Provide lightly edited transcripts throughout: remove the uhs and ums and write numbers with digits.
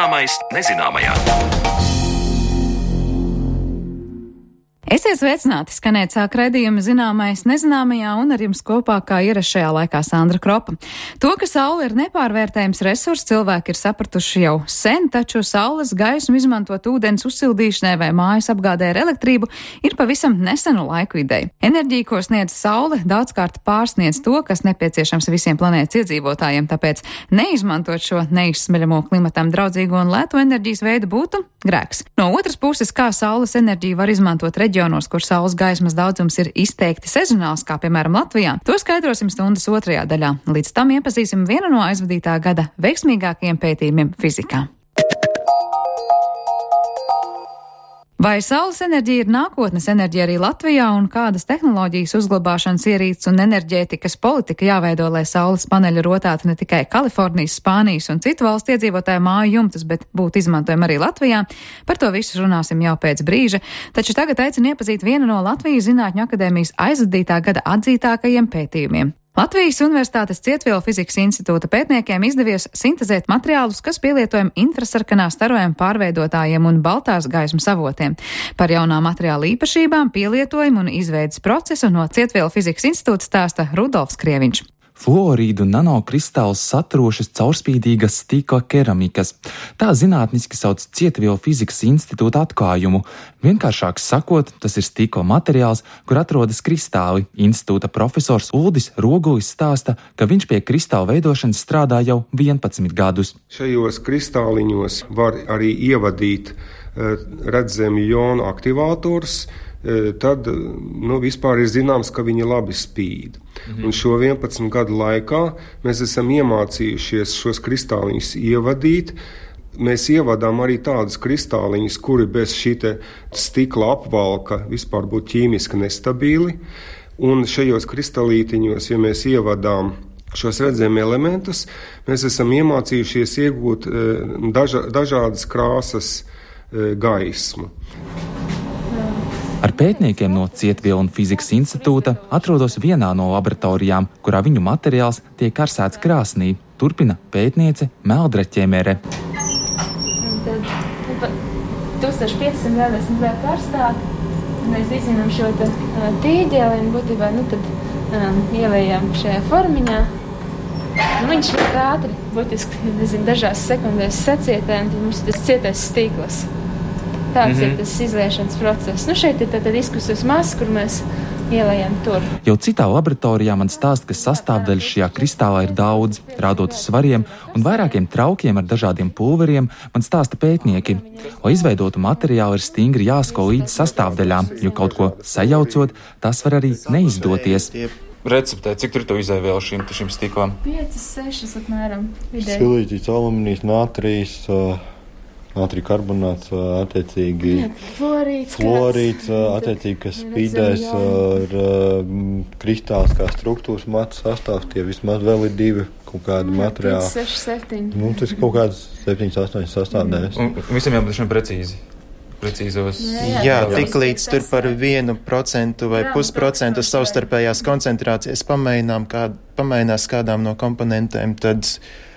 Zināmais nezināmajā. Esiet sveicināti, skanēt sāk raidījuma Zināmais nezināmajā, un ar jums kopā kā ierasts šajā laikā Sandra Kropa. To, ka saule ir nepārvērtējams resurs, cilvēki ir sapratuši jau sen, taču saules gaismu izmantot ūdens uzsildīšanai vai mājas apgādē ar elektrību ir pavisam nesenu laiku ideja. Enerģija, ko sniedz saule, daudzkārt pārsniedz to, kas nepieciešams visiem planētas iedzīvotājiem, tāpēc neizmantot šo neizsmeļamo klimatam draudzīgo un lētu enerģijas veidu būtu grēks. No otras puses, kā saules enerģiju var izmantot reģionos, kur saules gaismas daudzums ir izteikti sezonāls, kā piemēram Latvijā, to skaidrosim stundas otrajā daļā. Līdz tam iepazīsim vienu no aizvadītā gada veiksmīgākajiem pētījumiem fizikā. Vai saules enerģija ir nākotnes enerģija arī Latvijā, un kādas tehnoloģijas, uzglabāšanas ierīces un enerģētikas politika jāveido, lai saules paneļi rotātu ne tikai Kalifornijas, Spānijas un citu valstu iedzīvotāju māju jumtus, bet būtu izmantojami arī Latvijā? Par to visu runāsim jau pēc brīža, taču tagad aicinu iepazīt vienu no Latvijas Zinātņu akadēmijas aizvadītā gada atzītākajiem pētījumiem. Latvijas Universitātes Cietvielu fizikas institūta pētniekiem izdevies sintezēt materiālus, kas pielietojami infrasarkanā starojuma pārveidotājiem un baltās gaismas avotiem. Par jaunā materiāla īpašībām, pielietojumu un izveidas procesu no Cietvielu fizikas institūta stāsta Rudolfs Krieviņš. Fluorīdu nanokristālus saturošas caurspīdīgas stikla keramikas. Tā zinātniski sauc Cietvielu fizikas institūta atklājumu. Vienkāršāk sakot, tas ir stikla materiāls, kur atrodas kristāli. Institūta profesors Uldis Rogulis stāsta, ka viņš pie kristāla veidošanas strādā jau 11 gadus. Šajos kristāliņos var arī ievadīt redzami jonu aktivātors, tad vispār ir zināms, ka viņi labi spīd. Un šo 11 gadu laikā mēs esam iemācījušies šos kristāliņus ievadīt. Mēs ievadām arī tādus kristāliņus, kuri bez šī stikla apvalka vispār būtu ķīmiski nestabili. Un šajos kristalītiņos, ja mēs ievadām šos redzami elementus, mēs esam iemācījušies iegūt dažādas krāsas gaismu. Ar pētniekiem no Cietvielu fizikas institūta atrodos vienā no laboratorijām, kurā viņu materiāls tiek karsēts krāsnī, turpina pētniece Meldre Ķemere. Tad 1500 grādos vēl karstāk, mēs izzinām šo tīģeli un būtībā ielējām šajā formiņā. Viņš ļoti ātri, būtiski, dažās sekundēs sacietē, un tad mums tas cietais stīkls. Tāds ir tas izliešanas process. Šeit ir tāda diskusijas masa, kur mēs ielējam tur. Jau citā laboratorijā man stāsta, ka sastāvdaļas šajā kristālā ir daudz. Rādot uz svariem un vairākiem traukiem ar dažādiem pulveriem, man stāsta pētnieki. Lai izveidotu materiālu, ir stingri jāsko līdz sastāvdaļām, jo kaut ko sajaucot, tas var arī neizdoties. Receptē, cik tur to izēvielu šim stiklam? 5-6 apmēram vidēji. Silīķis, alumīnijas, nātrija karbonāts, attiecīgi fluorīds, attiecīgi, kas spīdēs ar kristāls kā struktūras matu sastāvs, tie vismaz vēl ir 2 kaut kādi materiāli. 5, 6, 7. Tas ir kaut kāds 7, 8 sastāvdaļas. Un visam jābūt šiem precīzos. Jā, tik līdz tur par 1% vai 0,5% savstarpējās koncentrācijas pamainās kādām no komponentēm, tad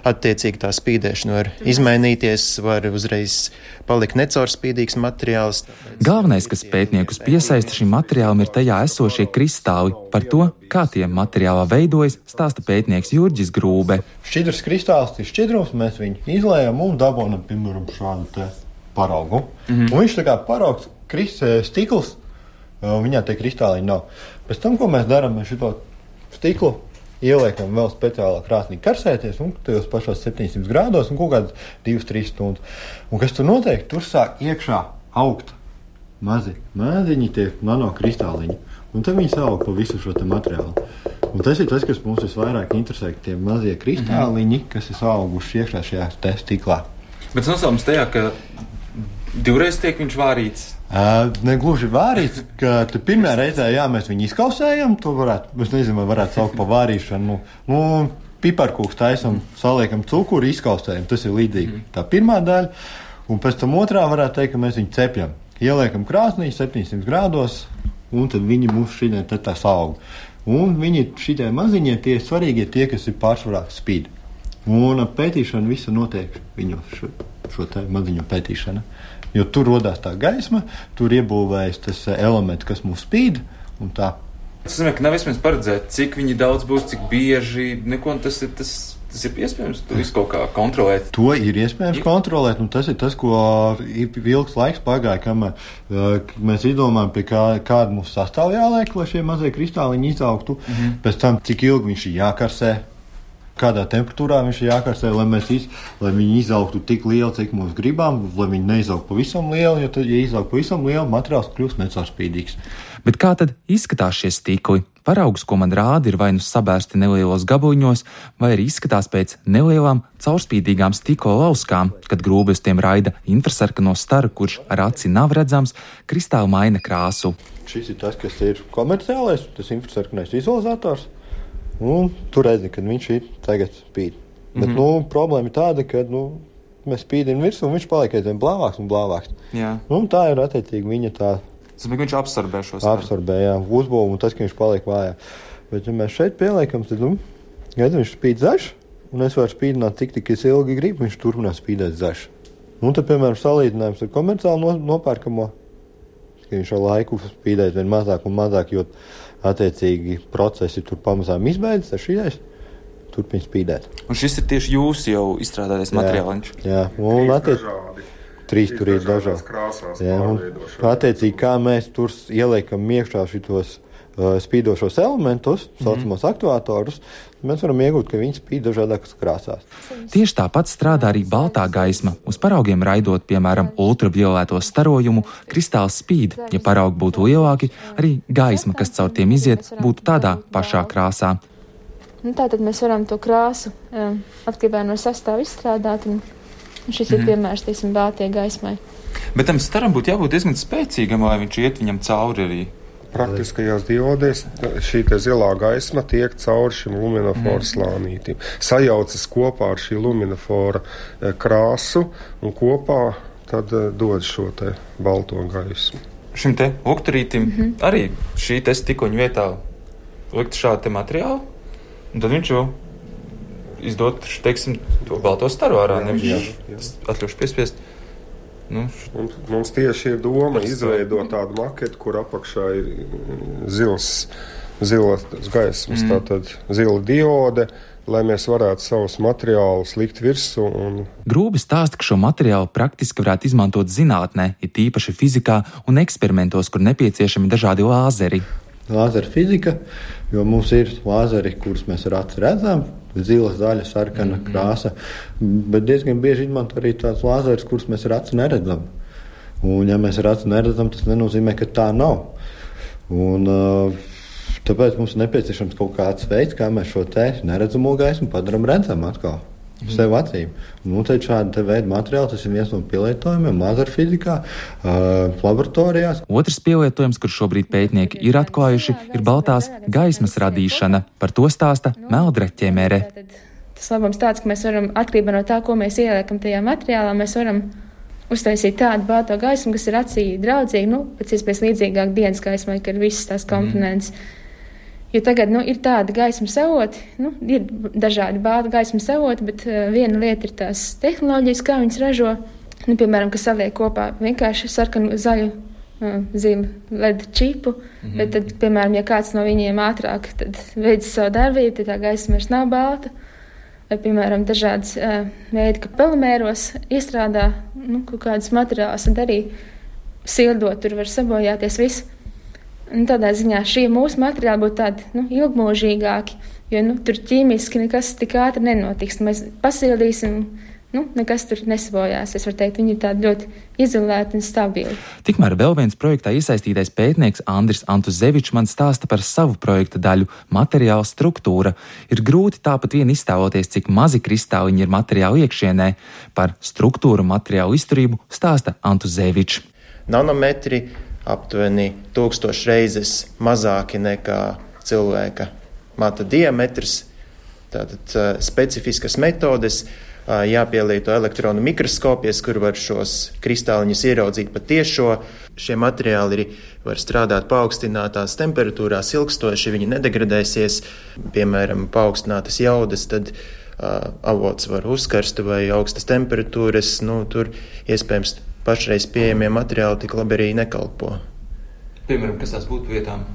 attiecīgi tā spīdēšana var izmainīties, var uzreiz palikt necaurspīdīgs materiāls. Galvenais, kas pētniekus piesaista šim materiālam, ir tajā esošie kristāli. Par to, kā tie materiālā veidojas, stāsta pētnieks Jurģis Grūbe. Šķidrs kristāls ir šķidrums, mēs viņu izlējam un dabonam, piemēram, šādu te paraugu. Un viņš tā kā paraugs stikls, viņā tie kristāliņi nav. Pēc tam, ko mēs darām, mēs šito stiklu ieliekam vēl speciālā krāsnī karsēties, un tajos pašos 700 grādos, un kaut kādas 2-3 stundas. Un kas tur notiek? Tur sāk iekšā augt maziņi tie nanokristāliņi, un tad viņi sāuk pa visu šo te materiālu. Un tas ir tas, kas mums visvairāk interesē, tie mazie kristāliņi, kas ir auguši iekšā šajā te stiklā. Bet nosaukums tajā, ka divreiz tiek viņš vārīts? Negluži vārīts, ka pirmā reizē, mēs viņu izkausējam, to varētu saukt pa vārīšanu. Piparkūks taisam, saliekam cukuru, izkausējam, tas ir līdzīgi. Tā pirmā daļa, un pēc tam otrā varētu teikt, ka mēs viņu cepjam. Ieliekam krāsnī 700 grādos, un tad viņi mums šitien tā saug. Un viņi šitie maziņie, tie svarīgie tie, kas ir pārsvarā spīd. Un pētīšana visa notiek viņos šo te maziņu pētīšana. Jo tur rodās tā gaisma, tur iebūvējas tas elements, kas mums spīd, un tā. Tas nozīmē, ka nav iespējams paredzēt, cik viņi daudz būs, cik bieži, neko, tas ir iespējams, tu visu kaut kā kontrolēt. To ir iespējams kontrolēt, un tas ir tas, ko ilgs laiks pagāja, kamēr mēs izdomājam, pie kāda mums sastāv jāliek, lai šie mazie kristāliņi izaugtu, pēc tam, cik ilgi viņš ir jākarsē, kādā temperatūrā viņš ir jākarsē, lai viņi izaugtu tik lieli, cik mums gribam, lai viņi neizaug pavisam lieli, jo tad, ja izaug pavisam lieli, materiāls kļūst necaurspīdīgs. Bet kā tad izskatās šie stikli? Paraugs, ko man rāda, ir vai nu sabērsti nelielos gabaliņos, vai arī izskatās pēc nelielām caurspīdīgām stikla lauskām, kad grūbi uz tiem raida infrasarkano staru, kurš ar aci nav redzams, kristāli maina krāsu. Šis ir tas, kas ir komerciālais, tas infrasarkanais vizualizators. Un tur redzi, kad viņš ir tagad spīd. Bet, problēma ir tāda, ka, mēs spīdam virsū, un viņš paliek aizvien blāvāks un blāvāks. Jā. Tā ir attiecīgi viņa tā. Tas viņš absorbē šo staru. Absorbē, jā, uzbūvu, un tas, ka viņš paliek vājā. Bet, ja mēs šeit pieliekam, tad, viņš spīd zaļš, un es varu spīdināt tik es ilgi gribu, viņš turpinās spīdēt zaļš. Un tad, piemēram, salīdzinājums ar komerciāli nopērkamo, ka viņš ar laiku spīdēt vien mazāk un mazāk, jo attiecīgi procesi tur pamazām izbeidzas, ar šīs turpina spīdēt. Un šis ir tieši jūsu jau izstrādātais materiāliņš? Jā, un trīs tur ir dažādi krāsās. Jā, un attiecīgi, kā mēs tur ieliekam iekšā šitos spīdošos elementus, saucamos aktuātorus, mēs varam iegūt, ka viņi spīd dažādākas krāsās. Tieši tāpat strādā arī baltā gaisma. Uz paraugiem raidot, piemēram, ultravioleto starojumu, kristāls spīd. Ja paraugi būtu lielāki, arī gaisma, kas caur tiem iziet, būtu tādā pašā krāsā. Tātad mēs varam to krāsu atkarībā no sastāvu izstrādāt, un šis ir piemērs, teiksim, baltajai gaismai. Bet tam staram būtu jābūt diezgan spēcīgam, lai viņš iet viņam cauri arī. Praktiskajās diodēs šī zilā gaisma tiek cauri šim luminofora slānītim. Sajaucas kopā ar šī luminofora krāsu un kopā tad dod šo te balto gaismu. Šim te lukturītim arī šī te stikoņu vietā likt šādu te materiālu, un tad viņš jau izdot, teiksim, to balto staru ārā, nevis atļaušu piespiest. Mums tieši ir doma izveidot tādu maketu, kur apakšā ir zilas gaismas, tātad zila diode, lai mēs varētu savus materiālus likt virsū. Grūbi stāsta, ka šo materiālu praktiski varētu izmantot zinātnē, it īpaši fizikā un eksperimentos, kur nepieciešami dažādi lāzeri. Lāzera fizika, jo mums ir lāzeri, kurus mēs ar aci redzam, zila, zaļa, sarkana krāsa, bet diezgan bieži izmanto arī tāds lāzeris, kurus mēs ar aci neredzam. Un ja mēs ar aci neredzam, tas nenozīmē, ka tā nav. Un tāpēc mums ir nepieciešams kaut kāds veids, kā mēs šo te neredzamo gaismu padaram redzam atkal. Sev acīm. Un tad šāda veida materiāli, tas ir viens no pielietojumiem lāzera fizikā, laboratorijās. Otrs pielietojums, kur šobrīd pētnieki ir atklājuši, ir baltās gaismas radīšana. Par to stāsta Meldre Ķemere. Tas labums tāds, ka mēs varam atkarībā no tā, ko mēs ieliekam tajā materiālā, mēs varam uztaisīt tādu balto gaismu, kas ir acī draudzīga, pēc iespējas līdzīgāk dienas gaismai, ka ir visas tās komponentes. Jo tagad ir tāda gaismas avoti, ir dažādi balta gaismas avoti, bet viena lieta ir tās tehnoloģijas, kā viņas ražo. Piemēram, kas saliek kopā vienkārši sarkanu, zaļu, zilu LED čipu, bet tad, piemēram, ja kāds no viņiem ātrāk veids savu darbību, tad tā gaisma vairs nav balta. Vai, piemēram, dažādas veidi, ka polimēros iestrādā kaut kādus materiālus, tad arī sildot, tur var sabojāties viss. Un tādā ziņā šie mūsu materiāli būtu tādi ilgmūžīgāki, jo tur ķīmiski nekas tik ātri nenotiks. Mēs pasildīsim, nekas tur nesabojās. Es varu teikt, viņi ir tādi ļoti izolēti un stabili. Tikmēr vēl viens projektā iesaistītais pētnieks Andris Antuzevičs man stāsta par savu projekta daļu – materiāla struktūra. Ir grūti tāpat vien iztēloties, cik mazi kristāliņi ir materiāla iekšienē. Par struktūru materiālu izturību stāsta Antuzevičs. Nanometri aptuveni 1000 reizes mazāki nekā cilvēka mata diametrs. Tātad specifiskas metodes, jāpielieto elektronu mikroskopijas, kur var šos kristāliņus ieraudzīt pa tiešo. Šie materiāli var strādāt paaugstinātās temperatūrās ilgstoši, viņi nedegradēsies. Piemēram, paaugstinātas jaudas, tad avots var uzkarst vai augstas temperatūras, tur iespējams pašreiz pieejamie materiāli tik labi arī nekalpo. Piemēram, kas tās būtu vietām?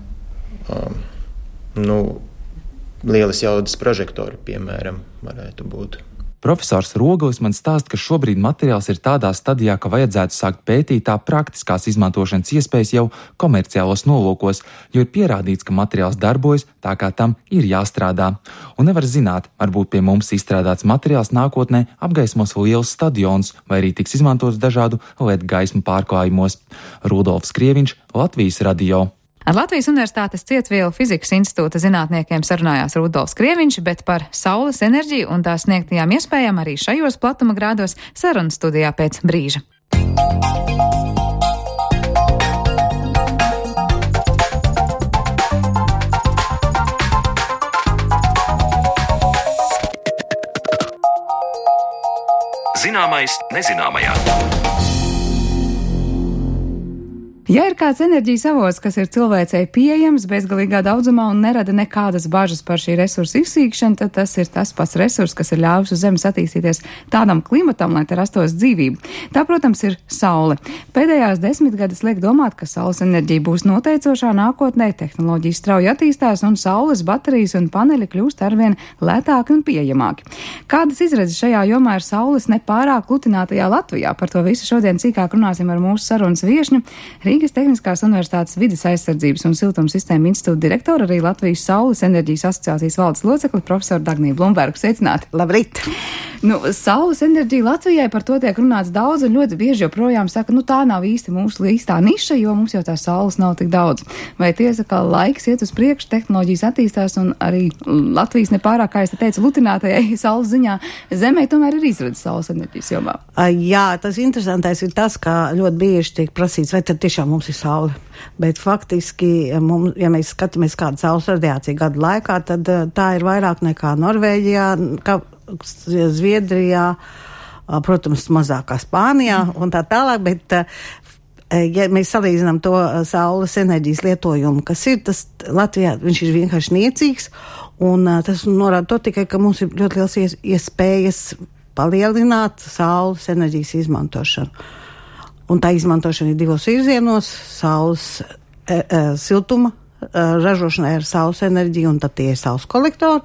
Lielas jaudas prožektori, piemēram, varētu būt. Profesors Roglis man stāsta, ka šobrīd materiāls ir tādā stadijā, ka vajadzētu sākt pētīt tā praktiskās izmantošanas iespējas jau komerciālos nolūkos, jo ir pierādīts, ka materiāls darbojas tā, kā tam ir jāstrādā. Un nevar zināt, varbūt pie mums izstrādāts materiāls nākotnē apgaismos lielus stadionus vai arī tiks izmantots dažādu LED gaismu pārklājumos. Rudolfs Krieviņš, Latvijas radio. Ar Latvijas Universitātes Cietvielu fizikas institūta zinātniekiem sarunājās Rudolfs Krieviņš, bet par saules enerģiju un tās sniegtajām iespējām arī šajos platuma grādos sarunas studijā pēc brīža. Zināmais nezināmajā. Ja ir kāds enerģijas avots, kas ir cilvēcei pieejams bezgalīgā daudzumā un nerada nekādas bažas par šī resursa izsīkšanu, tad tas ir tas pats resurs, kas ir ļāvis uz Zemes attīstīties tādam klimatam, lai te rastos dzīvība. Tā, protams, ir saule. Pēdējās 10 gadus liek domāt, ka saules enerģija būs noteicošā nākotnē, tehnoloģijas strauji attīstās un saules baterijas un paneļi kļūst arvien lētāki un pieejamāki. Kādas izredzes šajā jomā ir saules nepārāk lutinātajā Latvijā? Par to visu šodien cīkāk runāsim ar mūsu sarunas viešņu. Rīgas Tehniskās universitātes vides aizsardzības un siltumsistēmu institūta direktora, arī Latvijas Saules enerģijas asociācijas valdes locekli profesoru Dagniju Blumbergu. Sveicināti! Labrīt! Saules enerģija Latvijai, par to tiek runāts daudz un ļoti bieži joprojām saka, tā nav īsti mūsu īstā niša, jo mums jau tā saules nav tik daudz. Vai tiesa, ka laiks iet uz priekšu, tehnoloģijas attīstās un arī Latvijas nepārāk, kā es teicu, lutinātajai saules ziņā Zemē tomēr ir izredzes saules enerģijas jomā? Jā, tas interesantais ir tas, ka ļoti bieži tiek prasīts, vai tad tiešām mums ir saule. Bet faktiski, ja mēs skatāmies kādu saules radiāciju gadu laikā, tad tā ir vairāk nekā Norvēģijā, Zviedrijā, protams, mazākā Spānijā un tā tālāk, bet ja mēs salīdzinām to saules enerģijas lietojumu, kas ir, tas Latvijā viņš ir vienkārši niecīgs, un tas norāda to tikai, ka mums ir ļoti liels iespējas palielināt saules enerģijas izmantošanu. Un tā izmantošana ir divos virzienos - saules siltuma ražošanai ar saules enerģiju, un tad tie ir saules kolektori,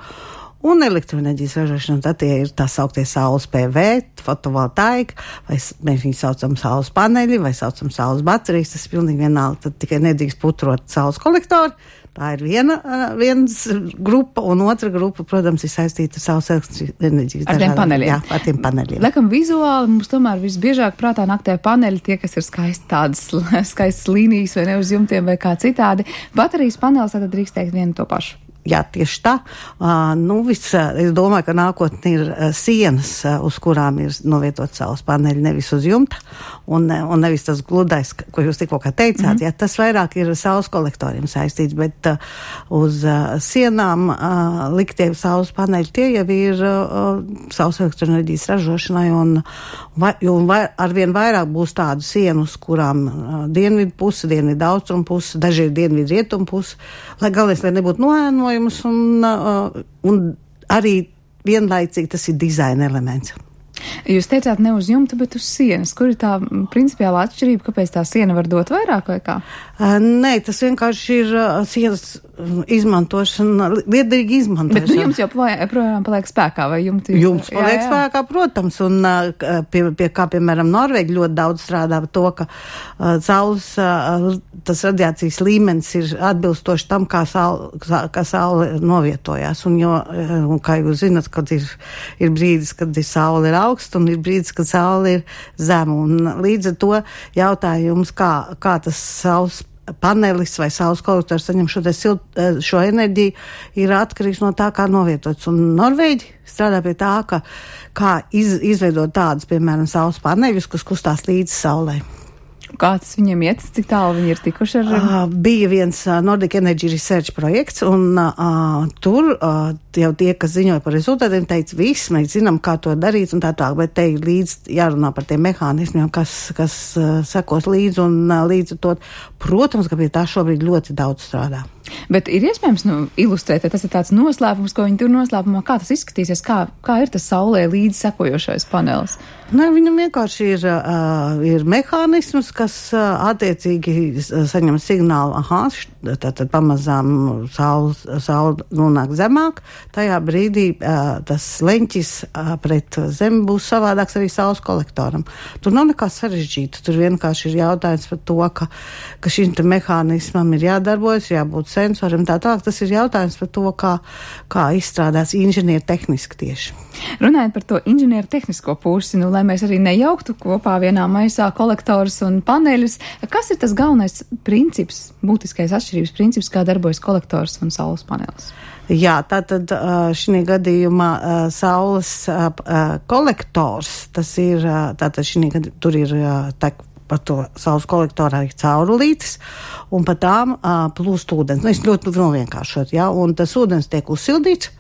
un elektroenerģijas ražošana, tad tie ir tā sauktie saules PV, fotovoltaika, vai mēs viņu saucam saules paneļi, vai saucam saules baterijas, tas ir pilnīgi vienalga, tad tikai nedrīkst putrot saules kolektori. Tā ir viens grupa, un otra grupa, protams, ir saistīta ar saules enerģijas. Ar tiem paneļiem. Jā, ar tiem paneļiem. Laikam vizuāli mums tomēr visbiežāk prātā nāk tie paneļi, tie, kas ir skaisti tādas skaistas līnijas vai ne uz jumtiem vai kā citādi. Baterijas panelis tad drīkst teikt vienu to pašu. Jā, tieši tā. Es domāju, ka nākotnē ir sienas, uz kurām ir novietot saules paneļi, nevis uz jumta, un nevis tas gludais, ko jūs tikko teicāt. Jā, tas vairāk ir saules kolektoriem saistīts, bet uz sienām liktie saules paneļi tie jau ir saules elektroenerģijas ražošanai, un arvien vairāk būs tādu sienu, uz kurām dienvidu puse, dienvidu austrumu puse, daži ir dienvidu rietumu puse, lai galvenais, lai nebūtu noēnojumi. Un arī vienlaicīgi tas ir dizaina elements. Jūs teicāt ne uz jumta, bet uz sienas. Kur ir tā principiālā atšķirība, kāpēc tā siena var dot vairāk vai kā? Nē, tas vienkārši ir sienas izmantošana, liederīgi izmantošana. Bet jums joprojām paliek spēkā, vai jumts? Jums paliek spēkā, protams, un pie kā, piemēram, Norvēģi ļoti daudz strādā par to, ka saules, tas radiācijas līmenis ir atbilstoši tam, kā saule novietojās. Un kā jūs zinat, kad ir brīdis, kad saule ir augsta, un ir brīdis, kad saule ir zema. Un līdz ar to jautājums, kā tas saules panelis vai saules kolektors saņem šo enerģiju, ir atkarīgs no tā, kā novietots. Un Norvēģi strādā pie tā, kā izveidot tādus, piemēram, saules paneļus, kas kustās līdz saulei. Kā tas viņiem iet, cik tālu viņi ir tikuši ar? Bija viens Nordic Energy Research projekts, un tur jau tie, kas ziņoja par rezultātiem, teica, viss, mēs zinām, kā to darīt un tā, bet te ir līdz jārunā par tiem mehānismiem, kas sekos līdz un līdz to. Protams, ka pie tā šobrīd ļoti daudz strādā. Bet ir iespējams ilustrēt, ja tas ir tāds noslēpums, ko viņi tur noslēpumā, kā tas izskatīsies, kā ir tas saulē līdz sekojošais panelis? Viņam vienkārši ir mehānisms, kas attiecīgi saņem signālu, tātad pamazām saule nonāk zemāk, tajā brīdī tas leņķis pret zemi būs savādāks arī saules kolektoram. Tur nav nekā sarežģīta, tur vienkārši ir jautājums par to, ka šim te mehānismam ir jādarbojas, jābūt sensoriem tā tālāk. Tas ir jautājums par to, kā izstrādās inženieru tehniski tieši. Runājot par to inženieru tehnisko pusi, lai mēs arī nejauktu kopā vienā maisā kolektorus un paneļus, kas ir tas galvenais princips, būtiskais atšķirības princips, kā darbojas kolektors un saules panelis? Jā, tātad šī gadījumā saules kolektors, tas ir, tātad šī gadījumā tur ir par to saules kolektorā ir caurulītes, un pa tām plūst ūdens. Es ļoti vienkāršot, ja, un tas ūdens tiek uzsildīts,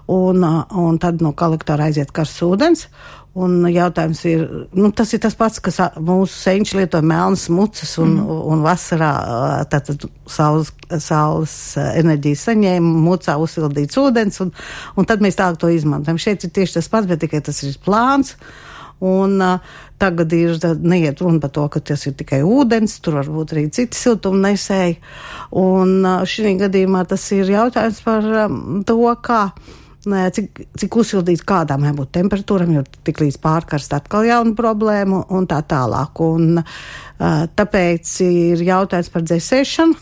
un tad no kolektora aiziet karsts ūdens, un jautājums ir, tas ir tas pats, kas mūsu senči lieto melnas mucas, un vasarā tātad saules enerģijas saņēma, mucā uzsildīts ūdens, un tad mēs tālāk to izmantojam. Šeit ir tieši tas pats, bet tikai tas ir plāns. Un tagad neiet runa par to, ka tas ir tikai ūdens, tur var būt arī citi siltumnesēji. Un šī gadījumā tas ir jautājums par to, cik uzsildīts kādām jābūt temperatūram, jo tik līdz pārkarst atkal jauna problēma un tā tālāk. Un tāpēc ir jautājums par dzēsēšanu,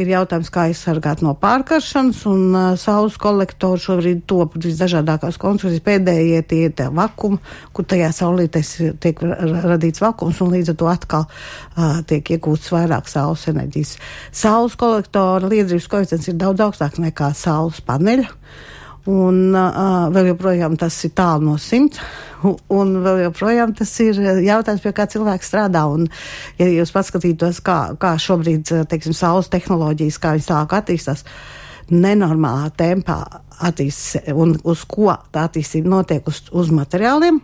ir jautājums, kā aizsargāt no pārkaršanas, un saules kolektori šobrīd top visdažādākās konstrukcijas, pēdējie tie vakumi, kur tajā saulītēs tiek radīts vakums, un līdz ar to atkal tiek iegūts vairāk saules enerģijas. Saules kolektora liederības koeficients ir daudz augstāks nekā saules paneļa. Un vēl joprojām tas ir tālu no 100, un vēl joprojām tas ir jautājums, pie kā cilvēks strādā. Un, ja jūs paskatītos, kā šobrīd, teiksim, saules tehnoloģijas, kā viņas tālāk attīstās, nenormālā tempā attīstās, un uz ko tā attīstība notiek uz materiāliem,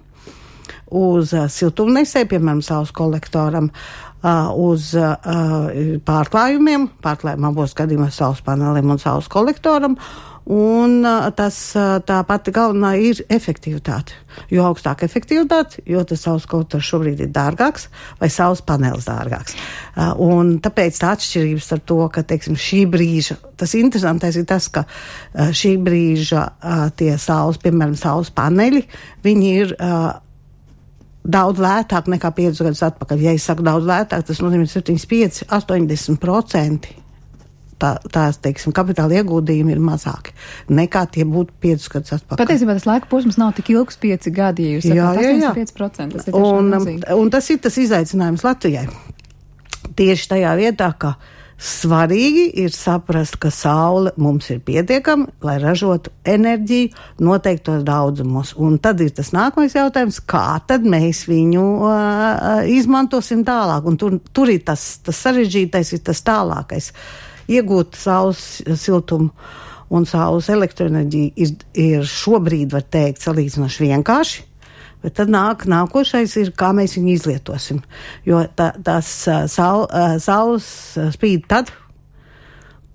uz siltumnesēju, piemēram, saules kolektoram, uz pārklājumiem abos gadījumos saules paneliem un saules kolektoram. Un tā pati galvenā ir efektivitāte. Jo augstāka efektivitāte, jo tas saules kolektors šobrīd ir dārgāks vai saules panelis dārgāks. Un tāpēc tā atšķirības ar to, ka, teiksim, šī brīža, tas interesantais ir tas, ka šī brīža tie saules, piemēram, saules paneļi, viņi ir daudz lētāk nekā 5 gadus atpakaļ. Ja es saku daudz lētāk, tas nozīmē 75–80%. Tās, teiksim, kapitāla ieguldījumi ir mazāki nekā tie būtu 5 gadus atpakaļ. Patiesībā tas laika posms nav tik ilgs 5 gadi, ja jūs sakāt 85%. Tas ir tiešām milzīgi. Un tas ir tas izaicinājums Latvijai. Tieši tajā vietā, ka svarīgi ir saprast, ka saule mums ir pietiekama, lai ražotu enerģiju noteiktos daudzumos. Un tad ir tas nākamais jautājums, kā tad mēs viņu izmantosim tālāk. Un tur ir tas sarežģītais, ir tas tālākais. Iegūt saules siltumu un saules elektroenerģiju ir šobrīd, var teikt, salīdzinoši vienkārši, bet tad nākošais ir, kā mēs viņu izlietosim. Jo tās saules spīd tad,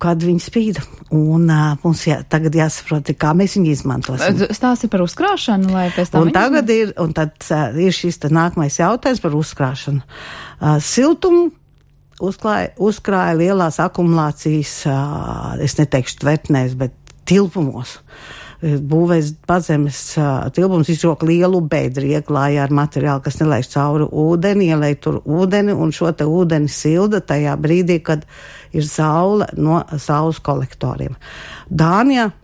kad viņi spīd, un mums tagad jāsaprot, kā mēs viņu izmantosim. Stāsti par uzkrāšanu, lai pēc tam un tad ir šis nākamais jautājums par uzkrāšanu. Siltumu uzkrāja lielās akumulācijas, es neteikšu tvertnēs, bet tilpumos. Būvēs pazemes tilpums izroka lielu bedri, ieklāja ar materiālu, kas nelaiž cauri ūdeni, ielēj tur ūdeni, un šo te ūdeni silda tajā brīdī, kad ir saule no saules kolektoriem. Dānijā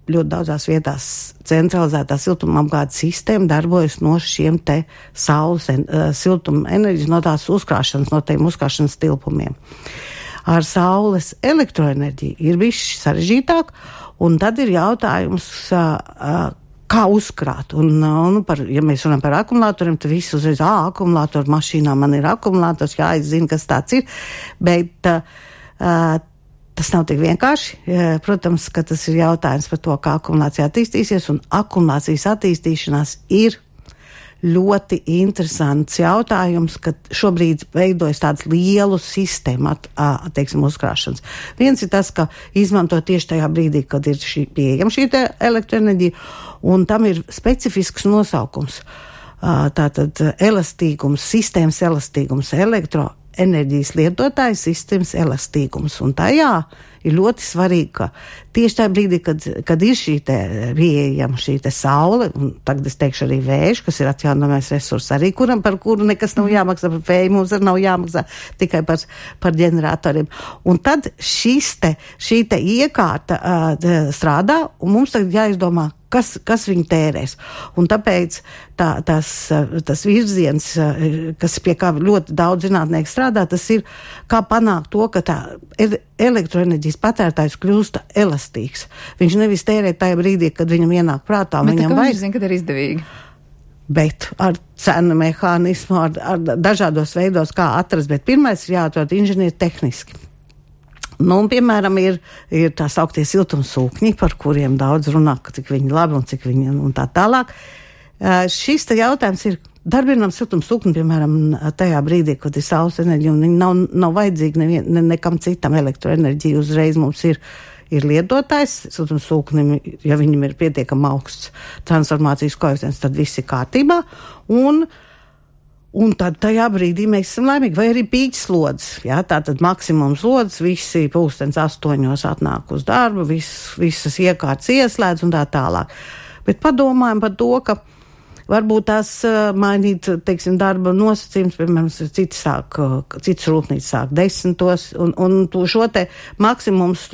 ļoti daudzās vietās centralizētā siltumapgādes sistēma darbojas no šiem te saules siltuma enerģijas, no tās uzkrāšanas, no tiem uzkrāšanas tilpumiem. Ar saules elektroenerģiju ir bijis sarežģītāk, un tad ir jautājums, kā uzkrāt. Ja mēs runājam par akumulatoriem, tad visi uzreiz, akumulātoru mašīnā man ir akumulators, es zinu, kas tāds ir, bet Tas nav tik vienkārši. Protams, ka tas ir jautājums par to, kā akumulācija attīstīsies, un akumulācijas attīstīšanās ir ļoti interesants jautājums, ka šobrīd veidojas tāds lielu sistēmu, teiksim, uzkrāšanas. Viens ir tas, ka izmanto tieši tajā brīdī, kad ir pieejama šī elektroenerģija, un tam ir specifisks nosaukums. Tātad elastīgums, sistēmas elastīgums, elektroenerģijas lietotājas sistēmas elastīgums, un tajā ir ļoti svarīgi, ka tieši tajā brīdī, kad ir šī te pieejama šī te saule, un tagad es teikšu arī vējš, kas ir atjaunojamais resurs arī, par kuru nekas nav jāmaksā, par vēju mums arī nav jāmaksā, tikai par ģeneratoriem. Un tad šī te iekārta strādā, un mums tagad jāizdomā, kas viņu tērēs. Un tāpēc tas virziens, kas pie kā ļoti daudz zinātnieku strādā, tas ir, kā panākt to, ka tā elektroenerģijas patērtājs kļūst elastīgs. Viņš nevis tērē tajā brīdī, kad viņam ienāk prātā. Bet viņam vajag. Viņš zina, kad ir izdevīgi. Bet ar cenu mehānismu, ar dažādos veidos, kā atrast, bet pirmais ir jāatrod inženieri tehniski. Nu, un, piemēram, ir tā sauktie siltumsūkņi, par kuriem daudz runā, cik viņi labi un cik viņi un tā tālāk. Šis te jautājums ir darbinām siltumsūkni, piemēram, tajā brīdī, kad ir saules enerģija, un viņi nav vajadzīgi nekam citam elektroenerģija. Uzreiz mums ir lietotājs siltumsūknim, ja viņam ir pietiekami augsts transformācijas koeficients, tad viss ir kārtībā, un tad tajā brīdī mēs esam laimīgi, vai arī pīķslodzes, jā, tātad maksimums slodzes, visi pulkstens 8 atnāk uz darbu, visas iekārtas ieslēdz un tā tālāk. Bet padomājam par to, ka varbūt tās mainīt, teiksim, darba nosacījums, piemēram, cits rūpnīca sāk 10, un šo te maksimums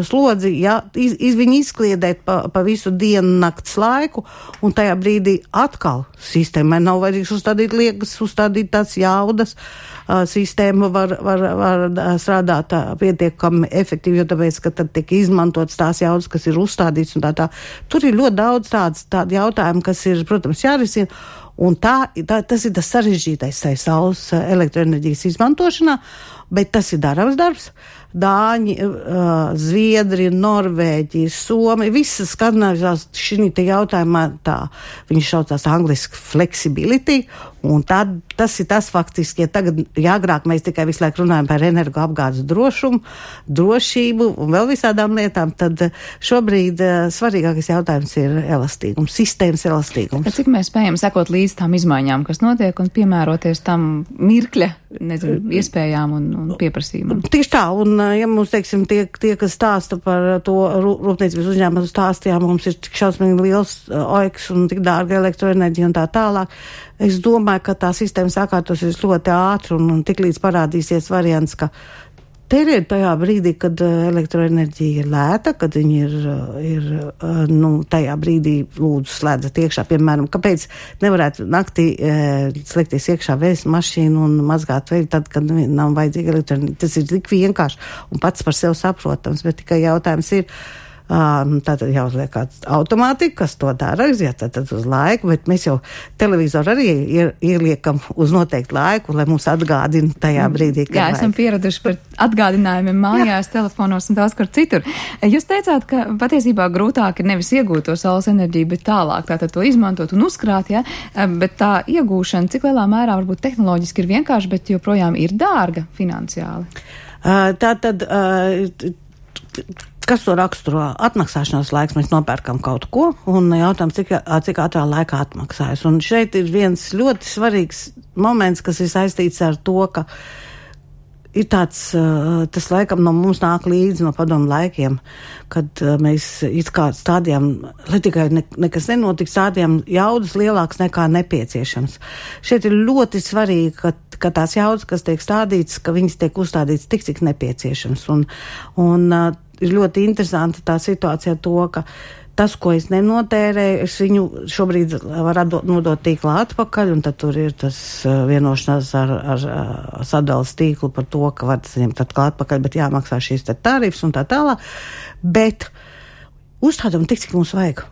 slodzi, jā, viņi izkliedēt pa visu dienu nakts laiku, un tajā brīdī atkal sistēmai nav vajadzīgs uzstādīt tās jaudas, sistēma var strādāt pietiekami efektīvi, jo tāpēc, ka tad tiek izmantotas tās jaudas, kas ir uzstādīts un tā. Tur ir ļoti daudz tādu jautājumu, kas ir, protams, jārisina, un tas ir tas sarežģītais saules elektroenerģijas izmantošanā, bet tas ir darams darbs. Dāņi, Zviedri, Norvēģi, Somi, visas Skandināvijas šī te jautājumā viņš saucās angliski flexibility, un tas ir tas faktiski, ja tagad agrāk mēs tikai visu laiku runājam par energoapgādes drošumu, drošību un vēl visādām lietām, tad šobrīd svarīgākais jautājums ir elastīgums, sistēmas elastīgums. Cik mēs spējam sekot līdz tām izmaiņām, kas notiek, un piemēroties tam mirkļa, iespējām un pieprasījumam? Tieši tā, un ja mums, teiksim, tie, kas stāsta par to rūpniecības uzņēmumu stāstījām, mums ir tik šausmīgi liels oiks un tik dārga elektroenerģija un tā tālāk, es domāju, ka tā sistēma sakārtosies ļoti ātri un tik līdz parādīsies variants, ka tērēt tajā brīdī, kad elektroenerģija ir lēta, kad viņi ir tajā brīdī lūdzu slēdzat iekšā, piemēram, kāpēc nevarētu naktī slēgties iekšā vējas mašīnu un mazgāt veļu tad, kad nav vajadzīga elektroenerģija. Tas ir tik vienkārši un pats par sevi saprotams, bet tikai jautājums ir, tātad jāuzliek kāds automātika, kas to dara, tātad uz laiku, bet mēs jau televizoru arī ieliekam uz noteiktu laiku, lai mums atgādina tajā brīdī, kad esam pieraduši par atgādinājumiem mājās, telefonos un daudz kur citur. Jūs teicāt, ka patiesībā grūtāk ir nevis iegūt to saules enerģiju, bet tālāk, tātad to izmantot un uzkrāt, ja? Bet tā iegūšana, cik lielā mērā varbūt tehnoloģiski ir vienkārši, bet joprojām ir dārga finansiāli? Tātad kas to raksturo? Atmaksāšanās laiks, mēs nopērkam kaut ko, un jautājums, cik ātrā laikā atmaksājas. Un šeit ir viens ļoti svarīgs moments, kas ir saistīts ar to, ka ir tas laikam no mums nāk līdzi no padomu laikiem, kad mēs it kā stādījām, lai tikai nekas nenotiks, stādījām jaudas lielāks nekā nepieciešams. Šeit ir ļoti svarīgi, ka tās jaudas, kas tiek stādītas, ka viņas tiek uzstādītas tik, cik nepieciešams. Un ir ļoti interesanti tā situācija to, ka tas, ko es nenotērēju, es viņu šobrīd varu nodot tīklā atpakaļ, un tad tur ir tas vienošanās ar sadalas tīklu par to, ka var saņemt atkal atpakaļ, bet jāmaksā šīs tarifs un tā tālāk. Bet uzstādām tik, cik mums vajag.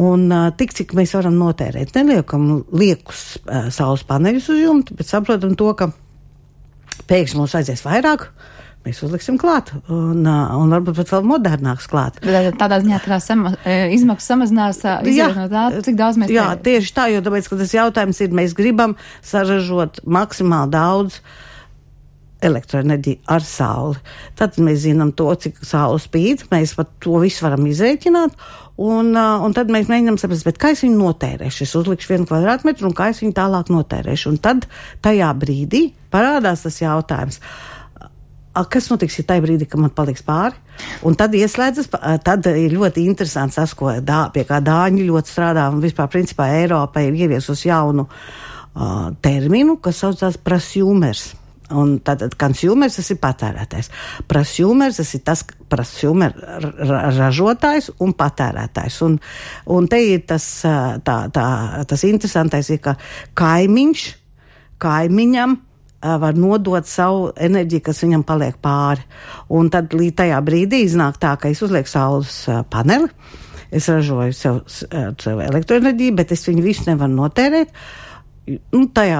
Un tik, cik mēs varam notērēt. Neliekam liekus saules paneļus uz jumta, bet saprotam to, ka pēkšņi mums vajadzēs vairāk, mēs uzliksim klāt, un varbūt pat vēl modernāks klāt. Tādā ziņā izmaksas samazinās, izējot no tā, cik daudz mēs Jā, tieši tā, jo tāpēc, ka tas jautājums ir, mēs gribam saražot maksimāli daudz elektroenerģiju ar sauli. Tad mēs zinām to, cik saule spīd, mēs pat to visu varam izrēķināt, un tad mēs mēģinām saprast, bet kā es viņu notērēšu? Es uzlikšu 1 kvadrātmetru, un kā es viņu tālāk notērēšu? Un tad tajā brīdī parādās tas jautājums, kas notiks, ja tajā brīdī, ka man paliks pāri? Un tad ieslēdzas, tad ir ļoti interesants tas, pie kā dāņi ļoti strādā, un vispār principā Eiropa ir ieviesus jaunu terminu, kas saucās prosumers. Un tātad consumers, tas ir patērētājs. Prosumers, tas ir tas prosumer ražotājs un patērētājs. Un te ir tas interesantais, ir, ka kaimiņam var nodot savu enerģiju, kas viņam paliek pāri. Un tad līdz tajā brīdī iznāk tā, ka es uzlieku saules paneli, es ražoju sev elektroenerģiju, bet es viņu visu nevaru notērēt. Tajā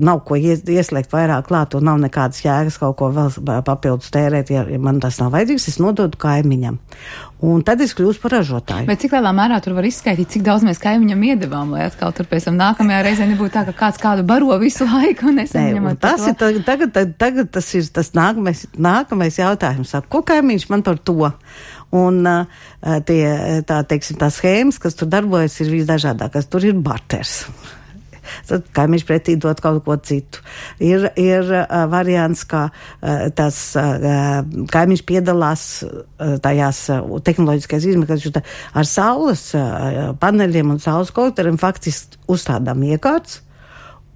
nav ko ieslēgt vairāk klāt, un nav nekādas jēgas kaut ko vēl papildus tērēt, ja man tas nav vajadzīgs, es nododu kaimiņam. Un tad es kļūstu par ražotāju. Bet cik lielā mērā tur var izskaidīt, cik daudz mēs kaimiņam iedevām, lai atkal tur pēc tam nākamajā reizē nebūtu tā, ka kāds kādu baro visu laiku un nesaņemot tas to? Tagad tas ir tas nākamais jautājums. Ko kaimiņš man par to? Un tā schēmas, kas tur darbojas, ir visdažādākās. Tur ir barters. Tad kaimiņš pretī dot kaut ko citu. Ir variants, ka tas kaimiņš piedalās tajās tehnoloģiskais izmērs ar saules paneļiem un saules kolektoriem faktiski uzstādām iekārts,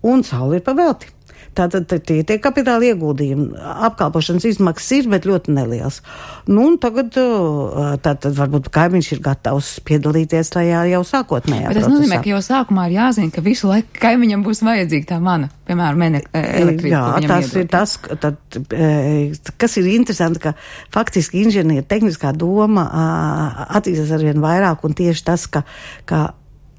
un saule ir pavelti. Tātad tie kapitāla ieguldījumi, apkalpošanas izmaksas ir, bet ļoti nelielas. Un tagad tātad varbūt kaimiņš ir gatavs piedalīties tajā jau sākotnējā procesā. Bet tas nozīmē, ka jau sākumā ir jāzina, ka visu laiku kaimiņam būs vajadzīga tā mana, piemēram, elektrība. Jā, tas ir tas, kas ir interesanti, ka faktiski inženieru tehniskā doma attīstās arvien vairāk, un tieši tas, ka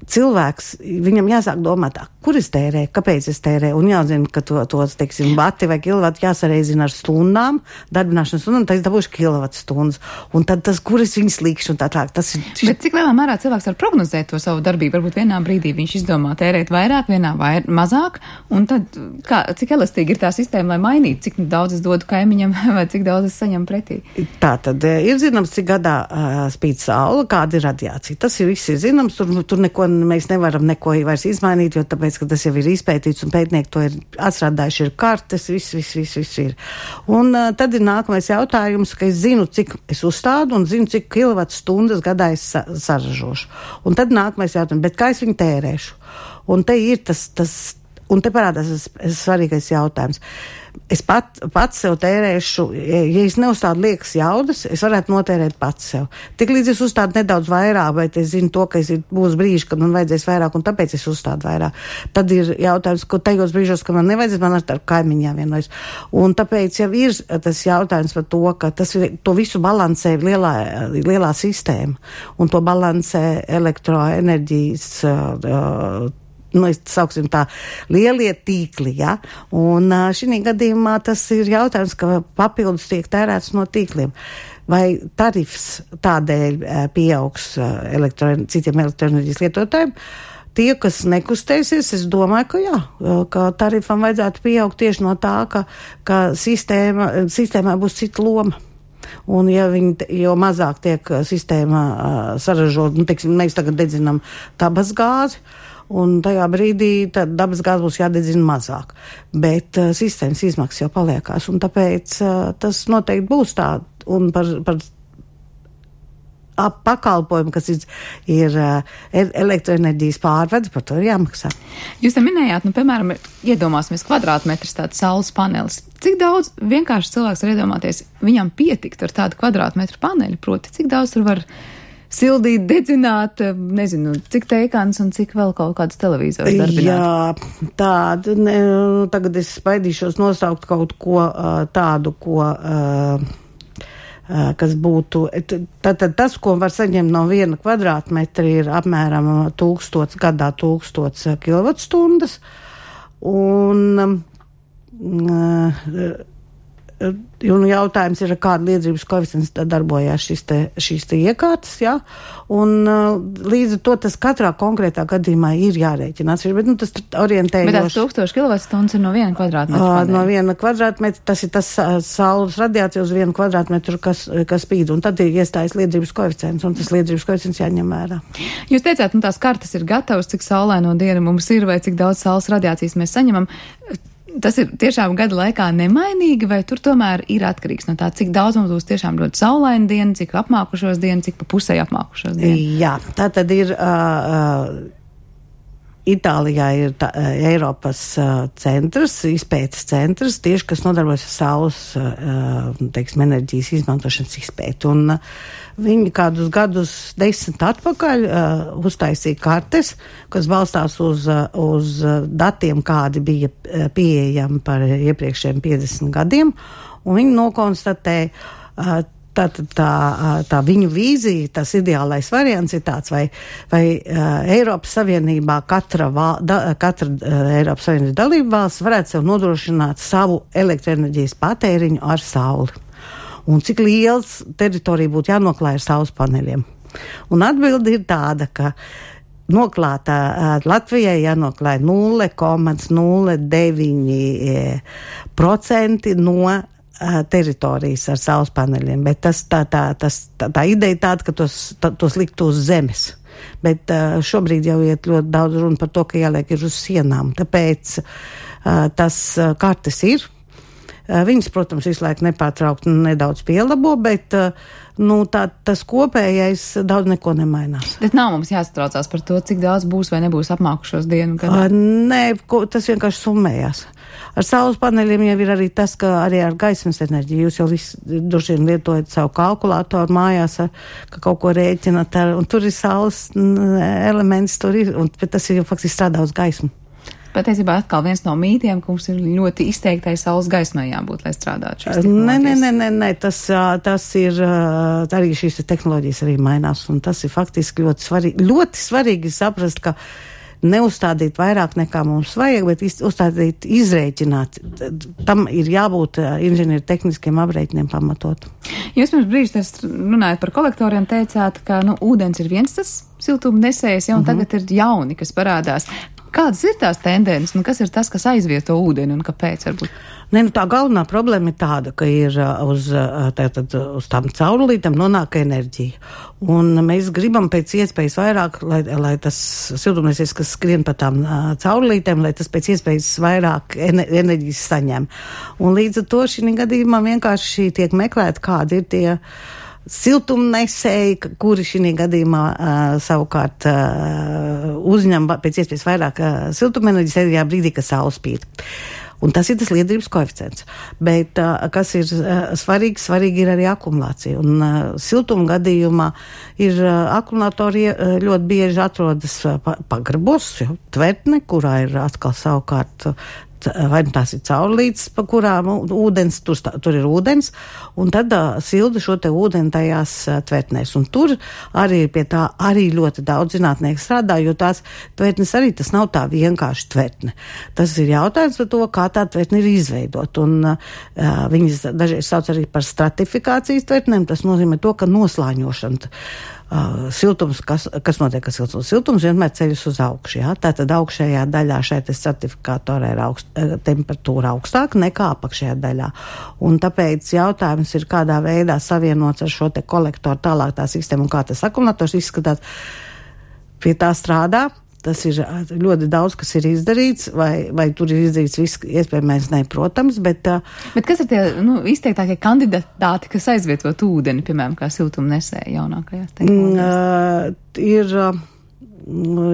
cilvēks, viņam jāsāk domāt, kur es tērēju, kāpēc es tērēju, un jāzina, ka tos, teiksim, vati vai kilovati jāsareizina ar stundām, darbināšanas stundām, tad es dabūšu kilovatu stundas, un tad tas, kur es viņus likšu, un tā. Tas ir... Bet cik lielā mērā cilvēks var prognozēt to savu darbību? Varbūt vienā brīdī viņš izdomā tērēt vairāk, vienā mazāk, un tad cik elastīgi ir tā sistēma, lai mainītu, cik daudz es dodu kaimiņam vai cik daudz es saņemu pretī? Tā tad ir zināms, cik gadā spīd saule, kāda ir radiācija. Tas ir viss ir zināms, tur neko mēs nevaram neko vairs izmainīt, jo tāpēc, ka tas jau ir izpētīts un pētnieki to ir atstrādājuši, ir kartes, viss ir. Un tad ir nākamais jautājums, ka es zinu, cik es uzstādu un zinu, cik kilovatu stundas gadā es saražošu. Un tad nākamais jautājums, bet kā es viņu tērēšu? Un te ir un te parādās tas svarīgais jautājums. Es pats sev tērēšu, ja es neuzstādu liekas jaudas, es varētu notērēt pats sev. Tik līdz es uzstādu nedaudz vairāk, bet es zinu to, ka būs brīži, kad man vajadzēs vairāk, un tāpēc es uzstādu vairāk. Tad ir jautājums, ko tajos brīžos, ka man nevajadzēs, man ar kaimiņām vienojas. Un tāpēc jau ir tas jautājums par to, ka to visu balansē lielā sistēma, un to balansē elektroenerģijas sauksim tā, lielie tīkli, ja? Un šī gadījumā tas ir jautājums, ka papildus tiek tērēts no tīkliem. Vai tarifs tādēļ pieaugs citiem elektroenerģijas lietotājiem? Tie, kas nekustēsies, es domāju, ka jā, ka tarifam vajadzētu pieaugt tieši no tā, ka sistēmā būs cita loma. Un jo mazāk tiek sistēmā saražot, teiksim, mēs tagad dedzinām dabas gāzi, un tajā brīdī dabas gāze būs jādedzina mazāk. Bet sistēmas izmaksas jau paliekās, un tāpēc tas noteikti būs tā. Un par pakalpojumu, kas ir elektroenerģijas pārvades, par to ir jāmaksā. Jūs te minējāt, piemēram, iedomāsimies kvadrātmetrs tāds saules panelis. Cik daudz vienkārši cilvēks var iedomāties, viņam pietikt ar tādu kvadrātmetru paneļu, proti, cik daudz tur var sildīt, dedzināt, nezinu, cik teikāns un cik vēl kaut kādas televizori darbināt? Jā, tagad es spaidīšos nosaukt kaut ko tādu, kas būtu, tad tas, ko var saņemt no 1 kvadrātmetra, ir apmēram 1000 gadā 1000 kilovatstundas, un Un jautājums ir, kāda liederības koeficients darbojās šīs te iekārtas, jā, un līdz ar to tas katrā konkrētā gadījumā ir jārēķinās, bet tas orientējoši. Bet tās 1000 kWh ir no 1 kvadrātmetra? No 1 kvadrātmetra, tas ir tas saules radiācija uz 1 kvadrātmetru, kas spīd, un tad ir iestājas liederības koeficients, un tas liederības koeficients jāņem vērā. Jūs teicāt, tās kartas ir gatavas, cik saulaino diena mums ir, vai cik daudz saules radiācijas mēs saņemam. Tas ir tiešām gada laikā nemainīgi, vai tur tomēr ir atkarīgs no tā, cik daudz mums būs tiešām ļoti saulaina diena, cik apmākušos dienu, cik pa pusē apmākušos dienu? Jā, tā tad ir Itālijā ir Eiropas centrs, izpētes centrs, tieši kas nodarbojas ar saules, enerģijas izmantošanas izpēti. Un viņi kādus gadus 10 atpakaļ uztaisīja kartes, kas balstās uz datiem, kādi bija pieejami par iepriekšējiem 50 gadiem, un viņi nokonstatēja, tā viņu vīzija, tas ideālais variants ir tāds, vai Eiropas Savienībā katra Eiropas Savienības dalība valsts varētu sev nodrošināt savu elektroenerģijas patēriņu ar sauli. Un cik liels teritorija būtu jānoklāj ar saules paneļiem. Un atbildi ir tāda, ka Latvijai jānoklāj 0,09% no teritorijas ar saules paneļiem, bet tā ideja tāda, ka tos liktu uz zemes. Bet šobrīd jau iet ļoti daudz runa par to, ka jāliek ir uz sienām. Tāpēc tas kartes ir. Viņas, protams, visu laiku nepārtraukti nedaudz pielabo, bet tas kopējais daudz neko nemainās. Bet nav mums jāsatraucās par to, cik daudz būs vai nebūs apmākušos dienu gadā? Nē, tas vienkārši summējās. Ar saules paneļiem jau ir arī tas, ka arī ar gaismas enerģiju jūs jau droši vien lietojat savu kalkulātoru mājās, ka kaut ko rēķinat, un tur ir saules elements, bet tas ir jau faktiski strādā uz gaismu. Patiesībā atkal viens no mītiem, ka mums ir ļoti izteiktai saules gaismai jābūt, lai strādātu šīs tehnoloģijas. Nē, tas ir, arī šīs tehnoloģijas arī mainās, un tas ir faktiski ļoti svarīgi. Ļoti svarīgi saprast, ka neuzstādīt vairāk nekā mums vajag, bet uzstādīt izrēķināt. Tam ir jābūt inženieru tehniskiem aprēķiniem pamatot. Jūs pirms brīža runājat par kolektoriem, teicāt, ka ūdens ir viens tas siltumnesējs, un tagad ir jauni, kas parādās. Kādas ir tās tendences, un kas ir tas, kas aizvieto ūdeni, un kāpēc varbūt? Tā galvenā problēma ir tāda, ka ir uz tām caurulītēm nonāk enerģija. Un mēs gribam pēc iespējas vairāk, lai tas siltumnesies, kas skrien pa tām caurulītēm, lai tas pēc iespējas vairāk enerģijas saņem. Un līdz ar to šī gadījumā vienkārši tiek meklēt, kādi ir tie siltumnesēji, kuri šī gadījumā savukārt uzņem pēc iespējas vairāk siltumenerģijas tajā brīdī, kad saule spīd. Un tas ir tas liederības koeficients. Bet kas ir svarīgi ir arī akumulācija. Un siltuma gadījumā ir akumulatori ļoti bieži atrodas pagrabos, tvertne, kurā ir atkal savukārt vai tās ir caurulītes, pa kurām ūdens, tur ir ūdens, un tad silda šo te ūdeni tajās tvertnēs. Un tur arī pie tā arī ļoti daudz zinātnieku strādā, jo tās tvertnes arī tas nav tā vienkārši tvertne. Tas ir jautājums par to, kā tā tvertne ir izveidot. Un viņas dažreiz sauc arī par stratifikācijas tvertnēm, tas nozīmē to, ka noslāņošana. Siltums, kas notiek ar siltums? Siltums vienmēr ceļas uz augšu, jā? Tātad augšējā daļā šeit stratifikātorā ir temperatūra augstāka nekā apakšējā daļā. Un tāpēc jautājums ir, kādā veidā savienots ar šo te kolektoru tālāk tā sistēma un kā tas akumulators izskatās. Pie tā strādā. Tas ir ļoti daudz, kas ir izdarīts, vai tur ir izdarīts viss iespējamais, protams, bet kas ir tie izteiktākie kandidāti, kas aizvietot ūdeni, piemēram, kā siltumnesēji jaunākajās tehnoloģijās?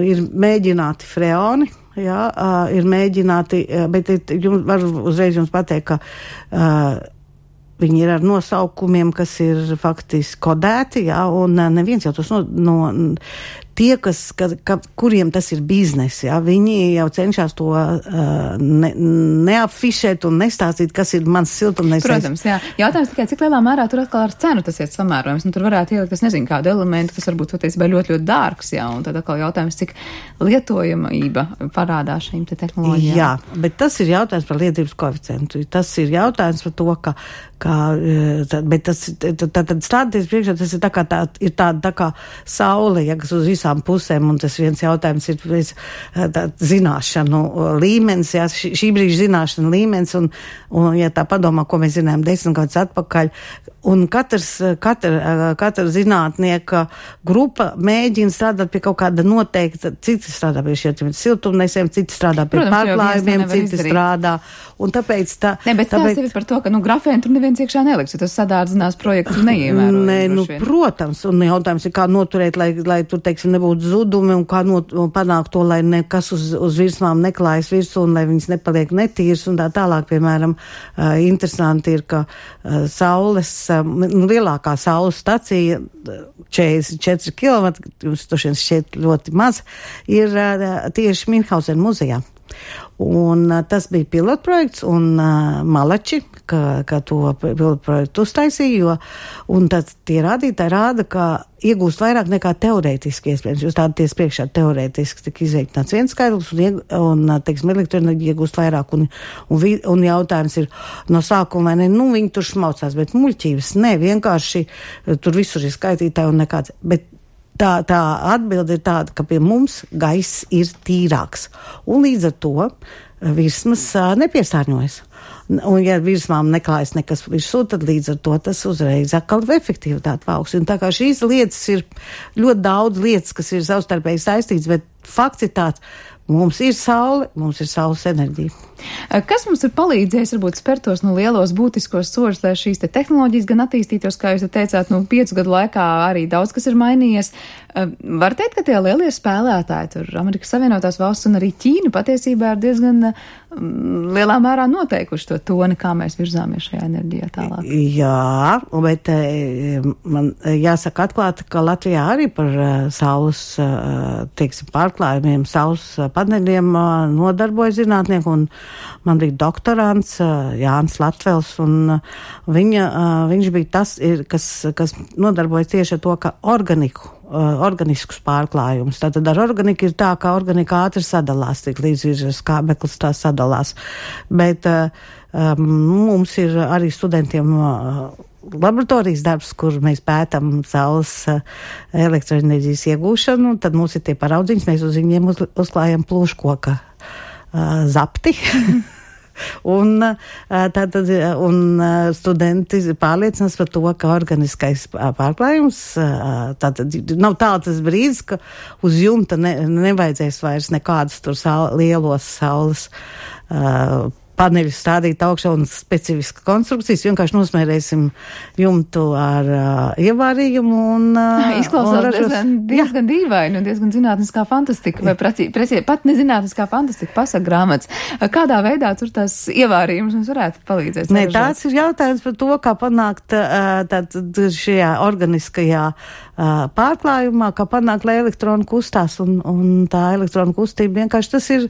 Ir mēģināti freoni, jā, ir mēģināti, bet varu uzreiz jums pateikt, ka viņi ir ar nosaukumiem, kas ir faktiski kodēti, jā, un neviens jau tos tie, kuriem tas ir biznesi, ja, viņi jau cenšas to neafišēt un nestāstīt, kas ir mans siltumnīcas. Protams, jā. Jautājums tikai, cik lielā mērā tur atkal ar cenu tas iet samērojums. Tur varētu ielikt, es nezinu, kādu elementu, kas varbūt patiesībā ļoti, ļoti dārgs, jā, un tad atkal jautājums, cik lietojamība parādās šīm te tehnoloģijām. Jā, bet tas ir jautājums par lietības koeficientu. Tas ir jautājums par to, bet tas, tad stāties priekšā, tas ir tā kā saule, ja, kas uz visām pusēm, un tas viens jautājums ir zināšanu līmenis, ja, šī brīža zināšanu līmenis, un ja tā padomā, ko mēs zinājām 10 gadus atpakaļ, un katra zinātnieka grupa mēģina strādāt pie kaut kāda noteikta, citi strādā pie šiem siltumnēsiem, citi strādā pie pārklājumiem, citi strādā, un tāpēc bet tas ir par to, ka, grafēnu tur neviens iekšā neliks, jo tas sadārdzinās projektu neievērojami. Protams, un jautājums ir, kā noturēt, lai tur, teiksim, nebūtu zudumi, un kā panākt to, lai nekas uz virsmām neklājas virsū, un lai viņas nepaliek netīras, un tā tālāk, piemēram, interesanti ir, ka lielākā saules stacija, 44 km, jums tošien šķiet ļoti maz, ir tieši Minhausen muzejā. Un tas bija pilotprojekts, un Malači, ka to pilotprojektu uztaisīja, un tad tie rādītāji rāda, ka iegūst vairāk nekā teorētiski iespējams. Jūs tādaties priekšā teorētiski tik izveikts viens skaidrs, un teiksim, elektroenerģija iegūst vairāk, un jautājums ir no sākuma, vai ne, viņi tur šmaucās, bet muļķības, ne, vienkārši tur visur ir skaitītāji un nekāds, bet tā atbilde ir tāda, ka pie mums gaiss ir tīrāks, un līdz ar to virsmas nepiesārņojas. Un ja virsmām neklājas nekas virsū, tad līdz ar to tas uzreiz atkal efektivitāti paaugs. Un tā kā šīs lietas ir ļoti daudz lietas, kas ir savstarpēji saistīts, bet fakts ir tāds, mums ir saule, mums ir saules enerģija. Kas mums ir palīdzējis, varbūt spērtos lielos būtiskos soļus, lai šīs te tehnoloģijas gan attīstītos, kā jūs teicāt, 5 gadu laikā arī daudz kas ir mainījies. Var teikt, ka tie lielie spēlētāji, tur Amerikas Savienotās valsts un arī Ķīna patiesībā ir diezgan lielā mērā noteikuši to toni, kā mēs virzāmies šajā enerģijā tālāk. Jā, bet man jāsaka atklāti, ka Latvijā arī par saules, teiksim, pārklājumiem, saules paneļiem nodarbojas zinātnieki, un man bija doktorants Jānis Latvels, un viņš bija tas, kas nodarbojas tieši ar to, ka organiskus pārklājumus. Tātad ar organiku ir tā, ka organika ātri sadalās, tik līdz ir skābeklis tā sadalās. Bet mums ir arī studentiem laboratorijas darbs, kur mēs pētam saules elektroenerģijas iegūšanu, tad mums ir tie paraudziņas, mēs uz viņiem uzklājam plūškoka zapti. Un studenti pārliecinās par to, ka organiskais pārklājums, tātad nav tāds brīdis, ka uz jumta nevajadzēs vairs nekādus tur lielos saules paneļus stādīt augšā un specifiska konstrukcijas, vienkārši nosmērēsim jumtu ar ievārījumu un izklausās diezgan dīvaini un diezgan zinātniskā fantastika, vai pat nezinātniskā fantastika pasaka grāmatas. Kādā veidā tur tās ievārījums mums varētu palīdzēt? Nē, tāds ir jautājums par to, kā panākt šajā organiskajā pārklājumā, kā panākt, lai elektroni kustās, un tā elektronu kustība vienkārši tas ir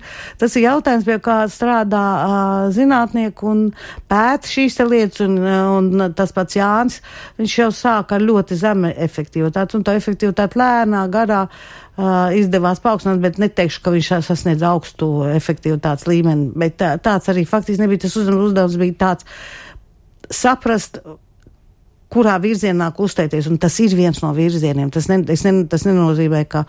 jautājums, pie kā strādā zinātnieki un pēta šīs lietas, un tas pats Jānis, viņš jau sāk ar ļoti zemu efektivitāti, un tā efektivitāte lēnā garā izdevās paaugstināt, bet neteikšu, ka viņš sasniedz augstu efektivitātes līmeni, bet tāds arī faktiski nebija. Tas uzdevums bija tāds saprast, kurā virzienā kustēties, un tas ir viens no virzieniem. Tas nenozīmē, ka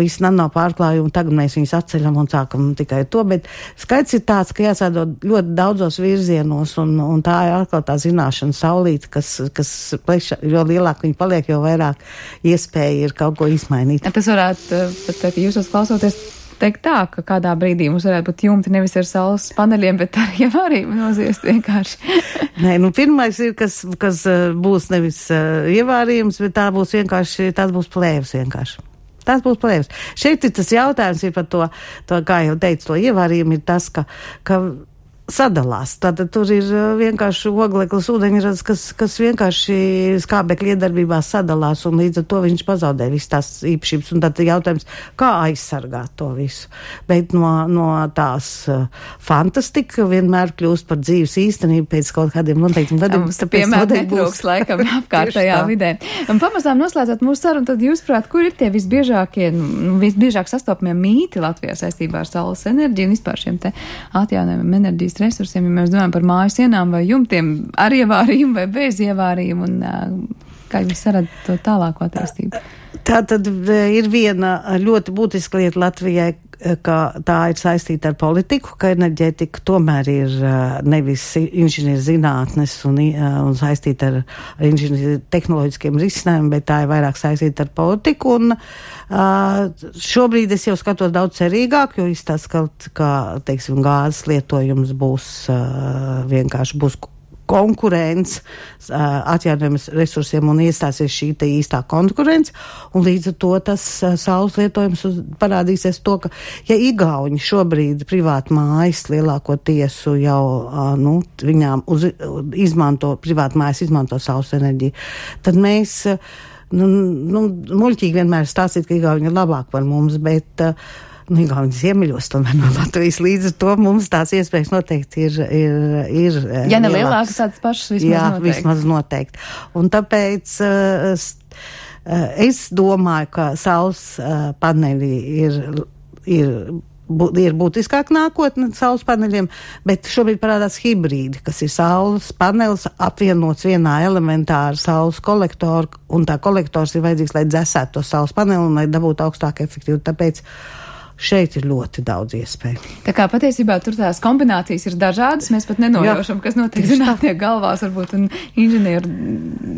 visi nav pārklājumi, tagad mēs viņus atceļam un sākam tikai to, bet skaidrs ir tāds, ka jāsādo ļoti daudzos virzienos, un tā ir atkal tā zināšana saulīte, kas pleša, jo lielāk viņi paliek, jo vairāk iespēja ir kaut ko izmainīt. Tas varētu, pat jūs klausoties, teikt tā, ka kādā brīdī mums varētu būt jumti nevis ar saules paneļiem, bet ar ievārījumu noziest vienkārši. Nē, pirmais ir, kas būs nevis ievārījums, bet tās būs plēvas vienkārši. Tas būs plēvas. Šeit ir tas jautājums ir par to, kā jau teicu, to ievārījumu ir tas, ka sadalās. Tātad tur ir vienkārši ogleklis ūdeņrads, kas vienkārši skābekļa iedarbībā sadalās, un līdz ar to viņš pazaudē visas tās īpašības. Un tad jautājums, kā aizsargāt to visu. Bet no tās fantastika vienmēr kļūst par dzīves īstenību pēc kaut kādiem noteiktiem gadiem. Mums piemēr netrūks laikam apkārtējā vidē. Un pamazām noslēdzot mūsu sarunu, tad jūs prāt, kur ir tie visbiežāk sastopamie mīti Latvijā saistībā ar saules enerģiju un vispār šiem te atjaunojumiem enerģijas resursiem, ja mēs domājam par māju sienām vai jumtiem ar ievārījumu vai bez ievārījumu, un kā jūs redzat to tālāko attīstību? Tā tad ir viena ļoti būtiska lieta Latvijai, ka tā ir saistīta ar politiku, ka enerģētika tomēr ir nevis inženierzinātnes un saistīta ar tehnoloģiskiem risinājumiem, bet tā ir vairāk saistīta ar politiku. Un šobrīd es jau skatos daudz cerīgāk, jo izstāsta, ka teiksim, gāzes lietojums būs konkurence atjaunojumus resursiem un iestāsies šī te īstā konkurence, un līdz ar to tas saules lietojums parādīsies to, ka, ja Igauņi šobrīd privāti mājas lielākoties jau, viņām privāti mājas izmanto saules enerģiju, tad mēs, muļķīgi vienmēr stāstīt, ka Igauņi ir labāk par mums, bet Igauņi ziemeļos tomēr no Latvijas, līdz ar to mums tās iespējas noteikti ir ja ne lielākas, tādas pašas vismaz jā, noteikti. Vismaz noteikti. Un tāpēc es domāju, ka saules paneļi ir būtiskāk nākotne saules paneļiem, bet šobrīd parādās hibrīdi, kas ir saules panelis apvienots vienā elementāra saules kolektoru, un tā kolektors ir vajadzīgs, lai dzesētu to saules paneli un lai dabūtu augstāku efektīvu. Tāpēc šeit ir ļoti daudz iespēju. Tā kā patiesībā tur tās kombinācijas ir dažādas, mēs pat nenojaušam, kas notiek zinātnieku galvās, varbūt un inženieru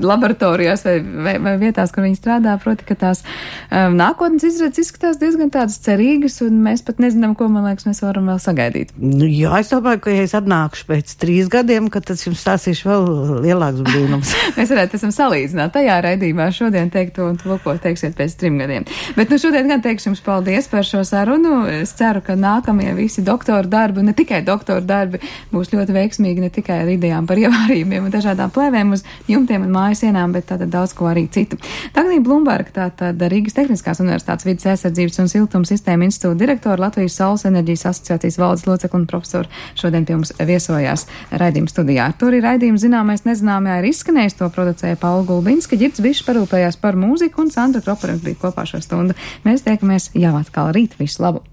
laboratorijās vai vietās, kur viņi strādā, proti, ka tās nākotnes izredzes izskatās diezgan tādas cerīgas, un mēs pat nezinām, ko, man liekas, mēs varam vēl sagaidīt. Jā, es domāju, ka ja es atnākušu pēc 3 gadiem, ka tad jums stāstīšu vēl lielāks brīnums. Mēs varētu esam salīdzināt tajā raidījumā šodien teikto un to, ko teiksiet pēc 3 gadiem. Bet šodien gan teikšu jums paldies par šo sarunu. Es ceru, ka nākamie visi doktora darbi, un ne tikai doktora darbi, būs ļoti veiksmīgi ne tikai ar idejām par ievārījumiem un dažādām plēvēm uz jumtiem un mājas sienām, bet tātad daudz ko arī citu. Dagnija Blumberga, tātad Rīgas Tehniskās universitātes vides aizsardzības un siltuma sistēma institūta direktora, Latvijas Saules enerģijas asociācijas valdes locekla un profesora šodien pie mums viesojās raidījuma studijā. To arī raidījuma zināmais nezināmajā ir izskanējis, to producēja Paula Gulbinska, Ģirds Bišs parūpējās par mūziku un Sandra Kropa bija kopā šo stundu. Mēs tiekamies jau atkal rīt. Visu labu!